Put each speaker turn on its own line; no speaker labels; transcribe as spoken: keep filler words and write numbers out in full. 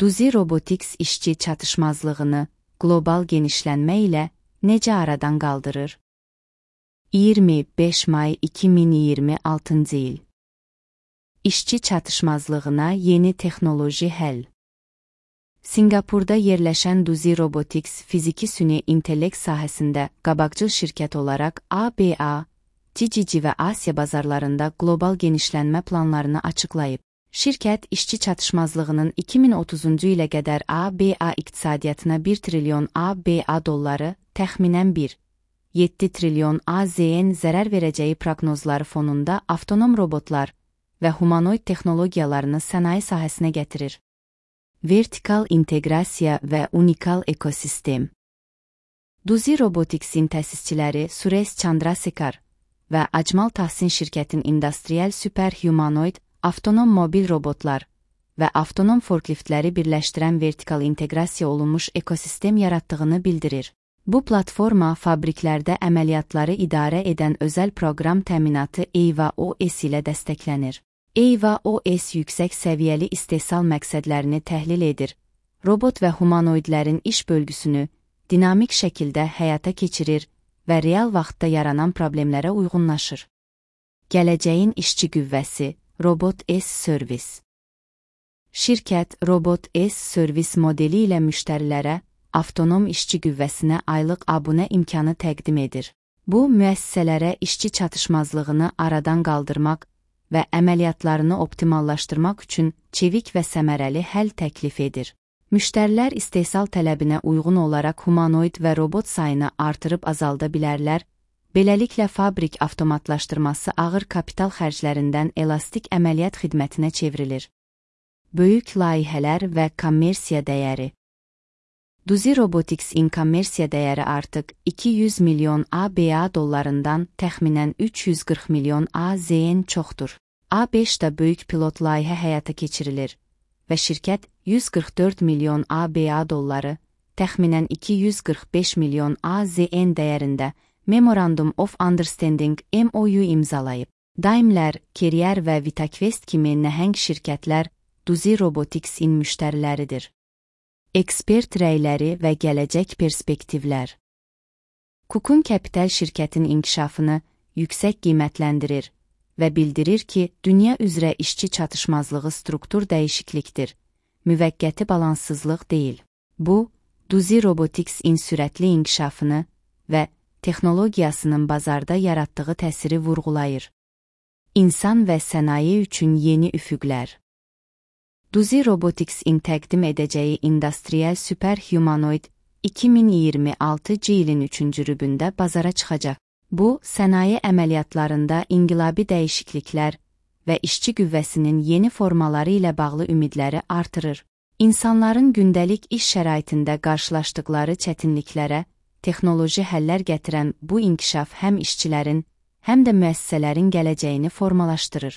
Duzi Robotics işçi çatışmazlığını qlobal genişlənmə ilə necə aradan qaldırır? iyirmi beş may iki min iyirmi altıncı il. İşçi çatışmazlığına yeni texnoloji həll. Singapurda yerləşən Duzi Robotics fiziki süni intellekt sahəsində qabaqcıl şirkət olaraq A B A, T C C və Asiya bazarlarında qlobal genişlənmə planlarını açıqlayıb. Şirkət, işçi çatışmazlığının iki min otuzuncu ilə qədər A B A iqtisadiyyatına bir trilyon A B A dolları, təxminən bir nöqtə yeddi trilyon A Z N zərər verəcəyi proqnozları fonunda avtonom robotlar və humanoid texnologiyalarını sənaye sahəsinə gətirir. Vertikal inteqrasiya və unikal ekosistem. Duzi Robotics'in təsisçiləri Suresh Chandrasekhar və Ajmal Tahsin şirkətin industrial superhumanoid, avtonom mobil robotlar və avtonom forkliftləri birləşdirən vertikal inteqrasiya olunmuş ekosistem yaratdığını bildirir. Bu platforma fabriklərdə əməliyyatları idarə edən özəl proqram təminatı EIVA O S ilə dəstəklənir. EIVA O S yüksək səviyyəli istehsal məqsədlərini təhlil edir, robot və humanoidlərin iş bölgüsünü dinamik şəkildə həyata keçirir və real vaxtda yaranan problemlərə uyğunlaşır. Gələcəyin işçi qüvvəsi, Robot S Service. Şirkət, Robot S Service modeli ilə müştərilərə avtonom işçi qüvvəsinə aylıq abunə imkanı təqdim edir. Bu, müəssisələrə işçi çatışmazlığını aradan qaldırmaq və əməliyyatlarını optimallaşdırmaq üçün çevik və səmərəli həll təklif edir. Müştərilər istehsal tələbinə uyğun olaraq humanoid və robot sayını artırıb azalda bilərlər, beləliklə fabrik avtomatlaşdırması ağır kapital xərclərindən elastik əməliyyat xidmətinə çevrilir. Böyük layihələr və kommersiya dəyəri. Duzi Robotics'in kommersiya dəyəri artıq iki yüz milyon A B A dollarından təxminən üç yüz qırx milyon A Z N çoxdur. A beşdə böyük pilot layihə həyata keçirilir və şirkət yüz qırx dörd milyon A B A dolları, təxminən iki yüz qırx beş milyon A Z N dəyərində Memorandum of Understanding M O U imzalayıb. Daimler, Carrier və Vitaquest kimi nəhəng şirkətlər Duzi Robotics'in müştəriləridir. Ekspert rəyləri və gələcək perspektivlər. Cookun Capital şirkətin inkişafını yüksək qiymətləndirir və bildirir ki, dünya üzrə işçi çatışmazlığı struktur dəyişiklikdir, müvəqqəti balanssızlıq deyil. Bu, Duzi Robotics'in sürətli inkişafını və texnologiyasının bazarda yaratdığı təsiri vurğulayır. İnsan və sənaye üçün yeni üfüqlər. Duzi Robotics'in təqdim edəcəyi industrial superhumanoid iki min iyirmi altıncı ilin üçüncü rübündə bazara çıxacaq. Bu, sənaye əməliyyatlarında inqilabi dəyişikliklər və işçi qüvvəsinin yeni formaları ilə bağlı ümidləri artırır. İnsanların gündəlik iş şəraitində qarşılaşdıqları çətinliklərə texnoloji həllər gətirən bu inkişaf həm işçilərin, həm də müəssisələrin gələcəyini formalaşdırır.